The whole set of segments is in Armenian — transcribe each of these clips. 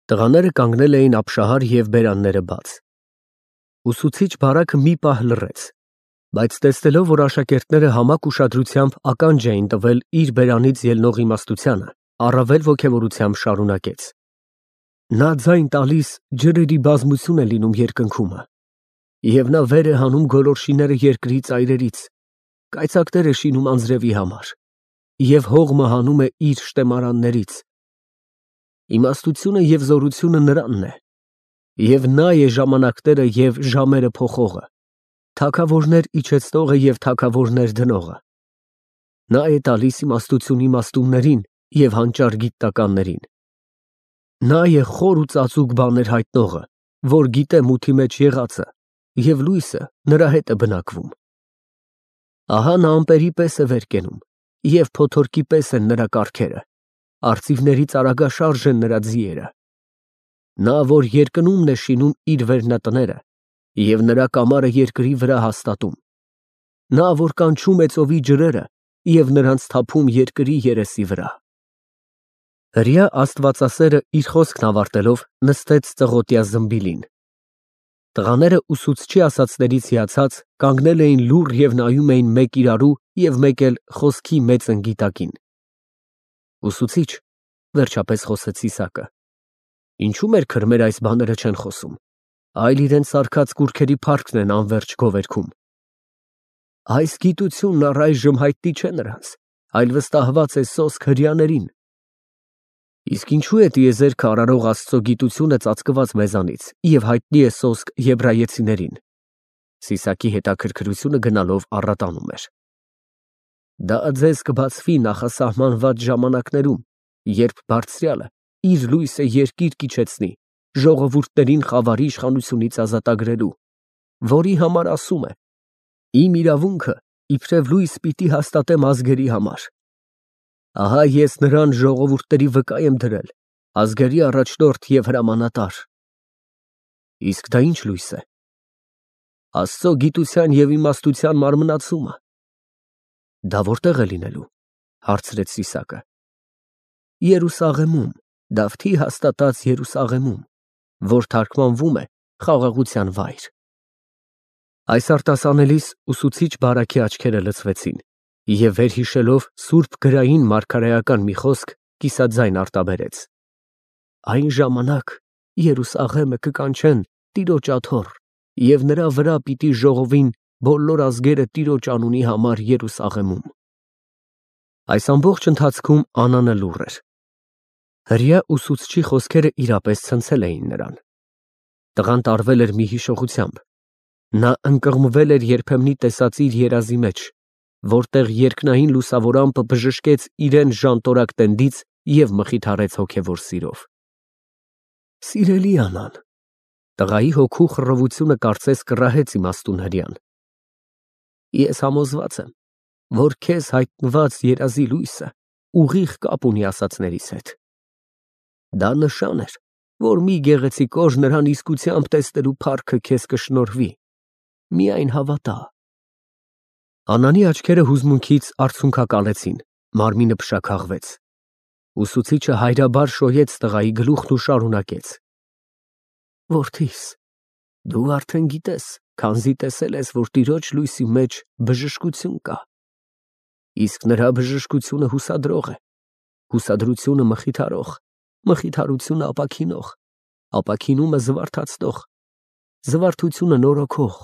Տղաները կանգնել էին ապշահար և բերանները բաց։ Ուսուցիչ բարակը մի պահ լռեց, բայց տեսնելով, որ աշակերտները համակ ուշադրությամբ ականջ էին տվել իր բերանից ելնող իմաստությանը, առավել ոգևորությամբ շարունակեց. Նա ձայն տալիս ջրերի բազմություն է լինում երկնքումը, և նա վեր է հանում գոլորշիները երկրի ծայրերից, կայծակներ է շինում անձրևի համար, և հողմը հանում է իր շտեմարաններից։ Իմաստությունը և զորությունը նրանն է, և նա է ժամանակները և ժամերը փոխողը, թագավորներ իջեցնողը և թագավորներ դնողը։ Նա է տալիս իմաստություն իմաստուններին և հանճար գիտնականներին։ Նա է խոր ու ծածուկ բաներ հայտնողը, որ գիտե մութի մեջ եղածը, և լույսը նրա հետ է բնակվում։ Ահա նա ամպերի պես է վեր կենում, և փոթորկի պես են նրա կառքերը, արծիվներից արագաշարժ են նրա ձիերը։ Նա, որ երկնումն է շինում իր վերնատները, և նրա կամարը երկրի վրա հաստատում։ Նա, որ կանչում է ծովի ջրերը և նրանց թափում երկրի երեսի վրա։ Հրեա աստվածասերը իր խոսքն ավարտելով նստեց ծղոտյա զմբիլին։ Տղաները ուսուցչի ասածներից հիացած կանգնել էին լուռ և նայում էին մեկ իրարու և մեկ էլ խոսքի մեծ ընգիտակին։ Ուսուցիչ, վերջապես խոսեց Իսակը, ինչու մեր քրմերը այս բաները չեն խոսում, այլ իրենց սարքած կուռքերի փառքն են անվերջ գովերգում։ Այս գիտությունն առայժմ հայտնի չէ նրանց, այլ վստահված է սոսկ հրեաներին։ Իսկ ինչու է տիեզերքը արարող Աստծո գիտությունը ծածկված մեզանից և հայտնի է սոսկ եբրայեցիներին։ Սիսակի հետաքրքրությունը գնալով առատանում էր։ Դա ձեզ կբացվի նախասահմանված ժամանակներում, երբ Բարձրյալը իր լույսը երկիր կիջեցնի, ժողովուրդներին խավարի իշխանությունից ազատագրելու, որի համար ասում է. «Իմ իրավունքը իբրև լույս պիտի հաստատեմ ազգերի համար»։ Ահա ես նրան ժողովուրդների վկա եմ դրել, ազգերի առաջնորդ և հրամանատար։ Իսկ դա ի՞նչ լույս է։ Աստծո գիտության և իմաստության մարմնացումը։ Դա որտե՞ղ է լինելու, հարցրեց Սիսակը։ Երուսաղեմում, Դավթի հաստատած Երուսաղեմում, որ թարգմանվում է խաղաղության վայր։ Այս արտասանելիս ուսուցիչ բարակի աչքերը լցվեցին, և վերհիշելով սուրբ գրային մարգարեական մի խոսք, կիսաձայն արտաբերեց. Այն ժամանակ Երուսաղեմը կկանչեն Տիրոջ աթոռ, և նրա վրա պիտի ժողովին բոլոր ազգերը Տիրոջ անունի համար Երուսաղեմում։ Այս ամբողջ ընթացքում Անանը լուռ էր։ Հրեա ուսուցչի խոսքերը իրապես ցնցել էին նրան։ Տղան տարվել էր մի հիշողությամբ։ Նա ընկղմվել էր երբեմնի տեսած իր երազի մեջ, որտեղ երկնային լուսավոր ամպը բժշկեց իրեն ժանտորակ տենդից և մխիթարեց հոգևոր սիրով։ Սիրելի Անան, տղայի հոգու խռովությունը կարծես կռահեց իմաստուն հրեան։ Ես համոզված եմ, որ քեզ հայտնված երազի լույսը ուղիղ կապ ունի ասածներիս հետ։ Դա նշան էր, որ մի գեղեցիկ օր նրան իսկությամբ տեսնելու փառքը քեզ կշնորհվի։ Միայն հավատա։ Անանի աչքերը հուզմունքից արցունքակալեցին, մարմինը փշաքաղվեց։ Ուսուցիչը հայրաբար շոյեց տղայի գլուխն ու շարունակեց. Որդիս, դու արդեն գիտես, քանզի տեսել ես, որ Տիրոջ լույսի մեջ բժշկություն կա։ Իսկ նրա բժշկությունը հուսադրող է, հուսադրությունը մխիթարող, մխիթարությունը ապաքինող, ապաքինումը զվարթացնող, զվարթությունը նորոգող,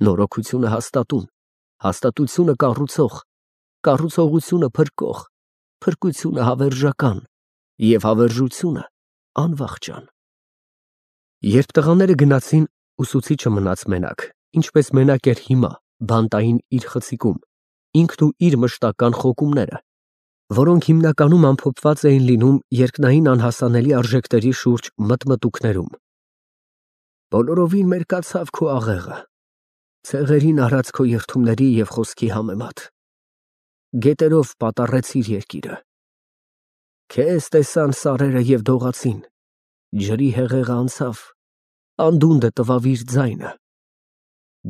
նորոգությունը հաստատուն, հաստատությունը կառուցող, կառուցողությունը փրկող, փրկությունը հավերժական և հավերժությունը անվախճան։ Երբ տղաները գնացին, ուսուցիչը մնաց մենակ, ինչպես մենակ էր հիմա, բանտային իր խցիկում, ինքն ու իր մշտական խոկումները, որոնք հիմնականում ամփոփված էին լինում երկնային անհասանելի արժեքների շուրջ մտմտուքներում։ Բոլորովին մերկացավ քո աղեղը, ցեղերին արած քո երդումների և խոսքի համեմատ։ Գետերով պատառեցիր երկիրը։ Քեզ տեսան սարերը և դողացին, ջրի հեղեղը անցավ, անդունդը տվավ իր ձայնը,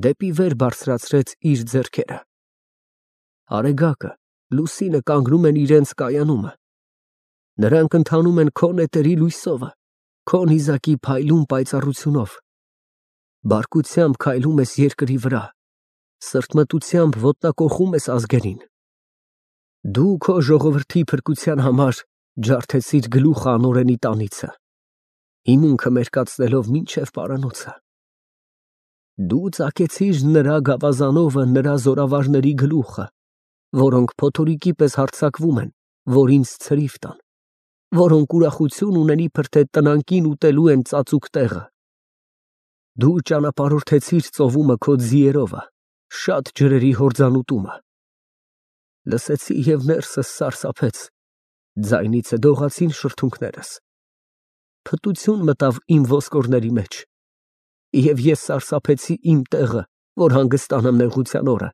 դեպի վեր բարձրացրեց իր ձեռքերը։ Արեգակը, լուսինը կանգնում են իրենց կայանումը, նրանք ընթանում են քո նետերի լույսովը, Քո նիզակի փայլուն պայծառությունով, բարկությամբ քայլում ես երկրի վրա, սրտմտությամբ ոտնակոխում ես ազգերին։ Դու քո ժողովրդի փրկության համար ջարդեցիր գլուխը անօրենի տանիցը, հիմունքը մերկացնելով մինչև պարանոցը։ Դու ծակեցիր նրա գավազանովը նրա զորավարների գլուխը, որոնք փոթորիկի պես հարձակվում են, որ ինձ ցրիվ տան, որոնք ուրախություն ունենի թե տնանկին ուտելու են ծածուկ տեղը։ Դու ճանապարհորդեցիր ծովումը քո ձիերովը, շատ ջրերի հորձանուտումը։ Լսեցի և ներսս սարսափեց, ձայնիցը դողացին շրթունքներս։ Փտություն մտավ իմ ոսկորների մեջ, և ես սարսափեցի իմ տեղը, որ հանգստանամ նեղության օրը,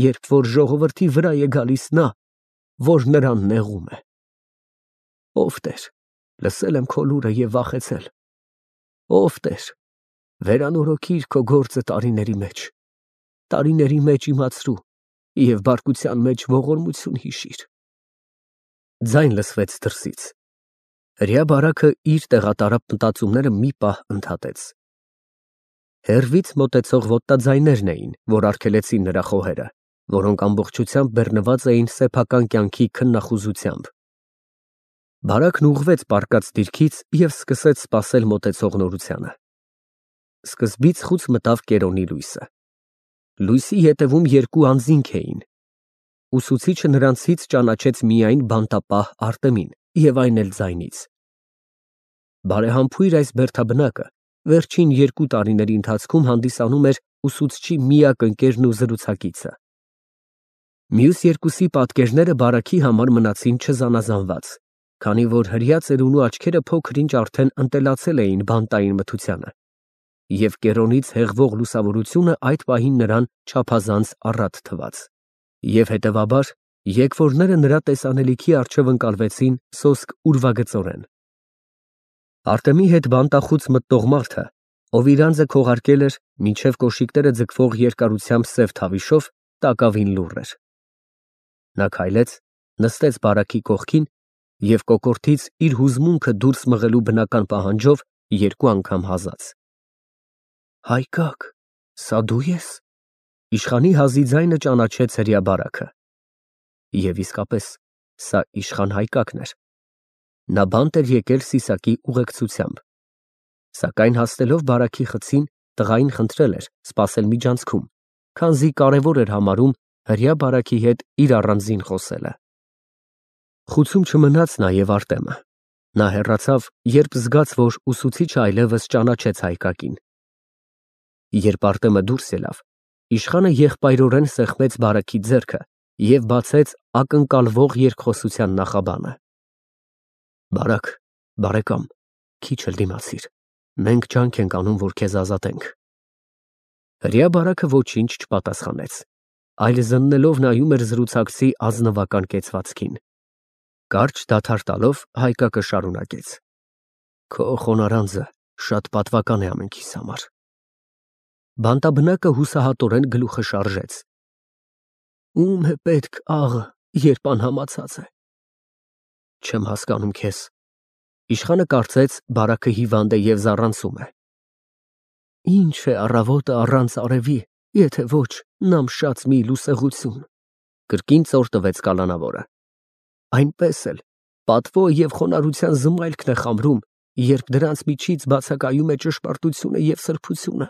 երբ որ ժողովրդի վրա է գալիս նա, որ նրան նեղում է։ Ով Տեր, լսել եմ քո լուրը և վախեցել։ Ով Տեր, վերանորոգիր քո գործը տարիների մեջ իմացրու և բարկության մեջ ողորմություն հիշիր։ Ձայն լսվեց դրսից։ Հրեա բարակը իր տեղատարապ մտածումները մի պահ ընդհատեց։ Հեռվից մոտեցող ոտնաձայներն էին, որ արգելեցին նրա խոհերը, որոնք ամբողջությամբ բեռնված էին սեփական կյանքի քննախուզությամբ։ Բարակն ուղղվեց պառկած դիրքից և սկսեց սպասել մոտեցող նորությանը։ Սկզբից խուց մտավ կերոնի լույսը։ Լույսի ետևում երկու անձինք էին։ Ուսուցիչը նրանցից ճանաչեց միայն բանտապահ Արտեմին և այն էլ ձայնից։ Բարեհամբույր այս բերդաբնակը վերջին 2 տարիների ընթացքում հանդիսանում էր ուսուցչի միակ ընկերն ու զրուցակիցը։ Մյուս երկուսի պատկերները բարակի համար մնացին չզանազանված, քանի որ հրեա ծերունու աչքերը փոքր-ինչ արդեն ընտելացել էին բանտային մթությանը, և կերոնից հեղվող լուսավորությունը այդ պահին նրան չափազանց առատ թվաց, և հետևաբար եկվորները նրա տեսանելիքի առջև ընկալվեցին սոսկ ուրվագծորեն։ Արտեմի հետ բանտախուց մտնող մարդը, ով իր անձը քողարկել էր մինչև կոշիկները ձգվող երկարությամբ սև թավիշով, տակավին լուռ էր։ Նա քայլեց, նստեց բարակի կողքին և կոկորդից իր հուզմունքը դուրս մղելու բնական պահանջով 2 անգամ հազաց։ Հայկակ, սա դու ես։ Իշխանի հազի ձայնը ճանաչեց հրեա բարակը։ Եվ իսկապես, սա իշխան Հայկակն էր։ Նա բանտ էր եկել Սիսակի ուղեկցությամբ։ Սակայն հասնելով բարակի խցին, տղային խնդրել էր սպասել միջանցքում, քանզի կարևոր էր համարում հրեա բարակի հետ իր առանձին խոսելը։ Խուցում չմնաց նաև Արտեմը։ Նա հեռացավ, երբ զգաց, որ ուսուցիչը այլևս ճանաչեց Հայկակին։ Երբ Արտեմը դուրս ելավ, իշխանը եղբայրորեն սեղմեց բարակի ձեռքը և բացեց ակնկալվող երկխոսության նախաբանը։ Բարակ, բարեկամ, քիչ էլ դիմացիր, մենք ջանք ենք անում, որ քեզ ազատենք։ Հրեա բարակը ոչինչ չպատասխանեց, այլ զննելով նայում էր զրուցակցի ազնվական կեցվածքին։ Կարճ դադար տալով Հայկակը շարունակեց. Քո խոնարհանձը շատ պատվական է ամենքիս համար։ Բանտաբնակը հուսահատորեն գլուխը շարժեց։ Ում է պետք աղը, երբ անհամացած է։ Չեմ հասկանում քեզ։ Իշխանը կարծեց բարակը հիվանդ է և զառանցում է։ Ինչ է առավոտը առանց արևի, եթե ոչ նամշած մի լուսեղություն։ Կրկին ծոր տվեց կալանավորը։ Այնպես էլ պատվո և խոնարհության զմայլքն է խամրում, երբ դրանց միջից բացակայում է ճշմարտությունը և սրբությունը։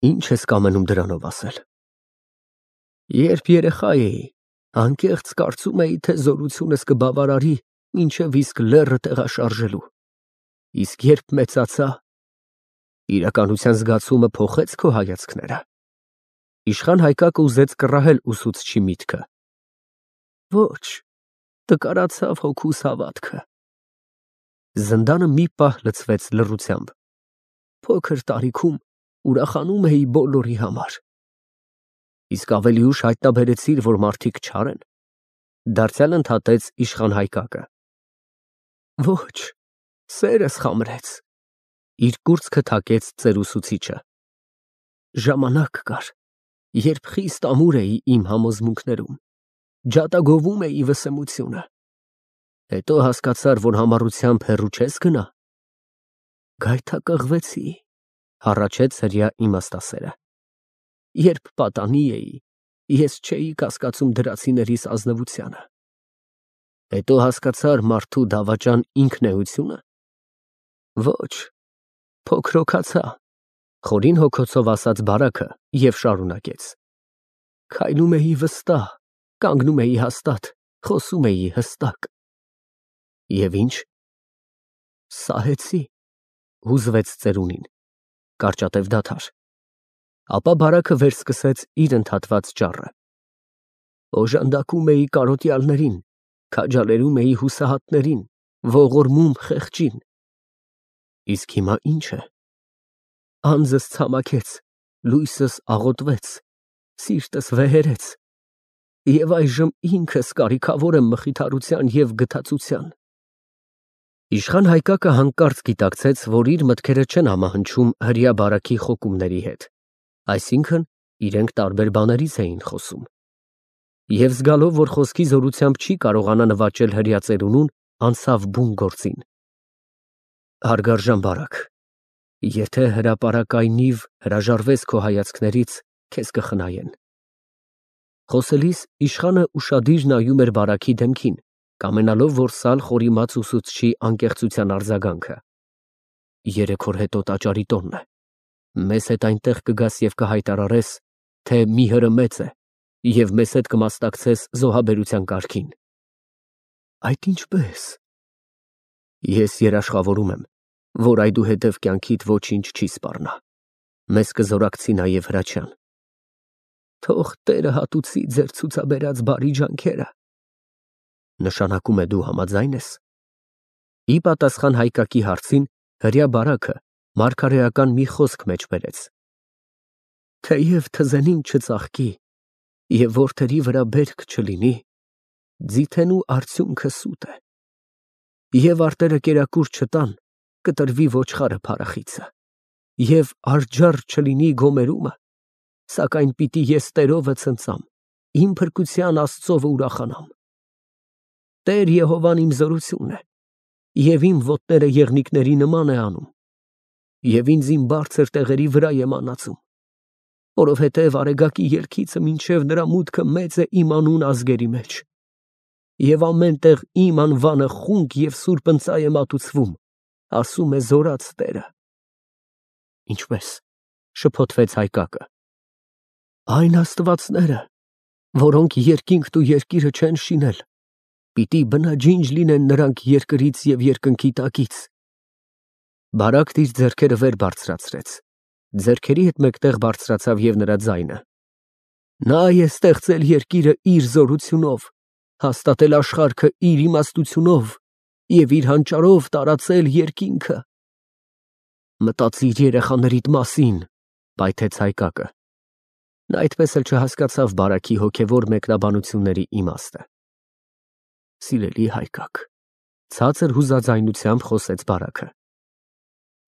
Ինչ ես կամենում դրանով ասել։ Երբ երեխա էի, անկեղծ կարծում էի, թե զորությունս կբավարարի մինչև իսկ լեռը տեղաշարժելու։ Իսկ երբ մեծացա, իրականության զգացումը փոխեց քո հայացքները։ Իշխան Հայկակը ուզեց կռահել ուսուցչի միտքը։ Ոչ, տկարացավ հոգուս հավատքը։ Զնդանը մի պահ լցվեց լռությամբ։ Փոքր տարիքում ուրախանում էի բոլորի համար։ Իսկ ավելի ուշ հայտնաբերեցիր, որ մարդիկ չար են։ Դարձյալ ընդհատեց իշխան Հայկակը։ Ոչ, սերս խամրեց։ Իր կուրծքը թակեց ծերուսուցիչը։ Ժամանակ կար, երբ խիստ ամուր էի իմ համոզմունքներում, ջատագովում էի վսեմությունը։ Հետո հասկացար, որ համառությամբ հեռու չես գնա գայթակղվեցի, հառաչեց հրյա իմաստասերը։ Երբ պատանի էի, ես չէի կասկածում դրացիներիս ազնվությանը։ Հետո հասկացար մարդու դավաճան ինքնեությունը։ Ոչ, փոքր հոգացա, խորին հոգոցով ասաց Բարակը եւ շարունակեց. Քայլում էի վստահ, կանգնում էի հաստատ, խոսում էի հստակ։ Եվ ինչ։ Սահեցի, հուզվեց ծերունին, կարճատև դադար։ Ապա Բարակը վերսկսեց իր ընդհատված ճառը։ Օժանդակում էի կարոտյալներին, քաջալերում էի հուսահատներին, ողորմում խեղճին։ Իսկ հիմա ինչ է։ Անձս ցամաքեց, լույսս աղոտվեց, սիրտս վեհերեց, եւ այժմ ինքս կարիքավոր եմ մխիթարության եւ գթացության։ Իշխան Հայկակը հանկարծ գիտակցեց, որ իր մտքերը չեն համահնչում հրյա Բարակի խոկումների հետ, այսինքն իրենք տարբեր բաներից էին խոսում։ Եվ զգալով, որ խոսքի զորությամբ չի կարողանա նվաճել հրյա ծերունուն, անցավ բուն գործին։ Հարգարժան Բարակ, եթե հրապարակայնիվ հրաժարվես քո հայացքներից, քեզ կխնայեն։ Խոսելիս իշխանը ուշադիր նայում էր Բարակի դեմքին, կամենալով որսալ խորիմաց ուսուցչի անկեղծության արձագանքը։ 3 օր հետո տաճարի տոնն է։ Մեզ հետ այնտեղ կգաս եւ կհայտարարես, թե մի հրը մեծ է, եւ մեզ հետ կմասնակցես զոհաբերության կարգին։ Այդ ինչպես։ Ես երաշխավորում եմ, որ այդուհետև կյանքիդ ոչինչ չի սպառնա։ Մեզ կզորակցի նաև Հրաչյան։ Թող Տերը հատուցի ձեր ցուցաբերած բարի ջանքերը։ Նշանակում է դու համաձայն ես։ Ի պատասխան Հայկակի հարցին հրյա Բարակը մարգարեական մի խոսք մեջ բերեց։ Թեև թզենին չծաղկի եւ որդերի վրա բերք չլինի, ձիթենու արդյունքը սուտ է։ Եվ արտերը կերակուր չտան, կտրվի ոչխարը փարախիցը, եւ արջառ չլինի գոմերումը, սակայն պիտի ես Տերովը ցնծամ, իմ փրկության Աստծովը ուրախանամ։ Տեր Եհովան իմ զորությունն է, եւ իմ ոտները եղնիկների նման է անում, եւ ինձ իմ բարձր տեղերի վրա եմ անացում, որովհետև արեգակի ելքիցը մինչև նրա մուտքը մեծ է իմ անուն ազգերի մեջ, եւ ամեն տեղ իմ անվանը խունկ եւ սուրբ ընծայ է մատուցվում, ասում է զորած Տերը։ Ինչպես, շփոթվեց Հայկակը։ Այն աստվածները, որոնք երկինքն ու երկիրը չեն շինել, պիտի բնաջինջ լինեն նրանք երկրից եւ երկնքի տակից։ Բարակն իր ձեռքերը վեր բարձրացրեց, ձեռքերի հետ մեկտեղ բարձրացավ եւ նրա ձայնը։ Նա է ստեղծել երկիրը իր զորությունով, հաստատել աշխարհքը իր իմաստությունով եւ իր հանճարով տարածել երկինքը։ Մտածիր երեխաներիդ մասին, պայթեց Հայկակը։ Նա այդպես էլ չհասկացավ Բարակի հոգևոր մեկնաբանությունների իմաստը։ Սիրելի Հայկակ, ցածր հուզաձայնությամբ խոսեց Բարակը։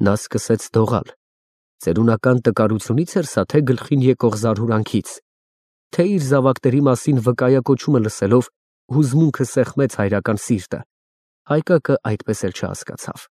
Նա սկսեց դողալ։ Ծերունական տկարությունից էր սա, թե գլխին եկող զարհուրանքից, թե իր զավակների մասին վկայակոչումը լսելով հուզմունքը սեղմեց հայրական սիրտը։ Հայկակը այդպես էլ չհասկացավ։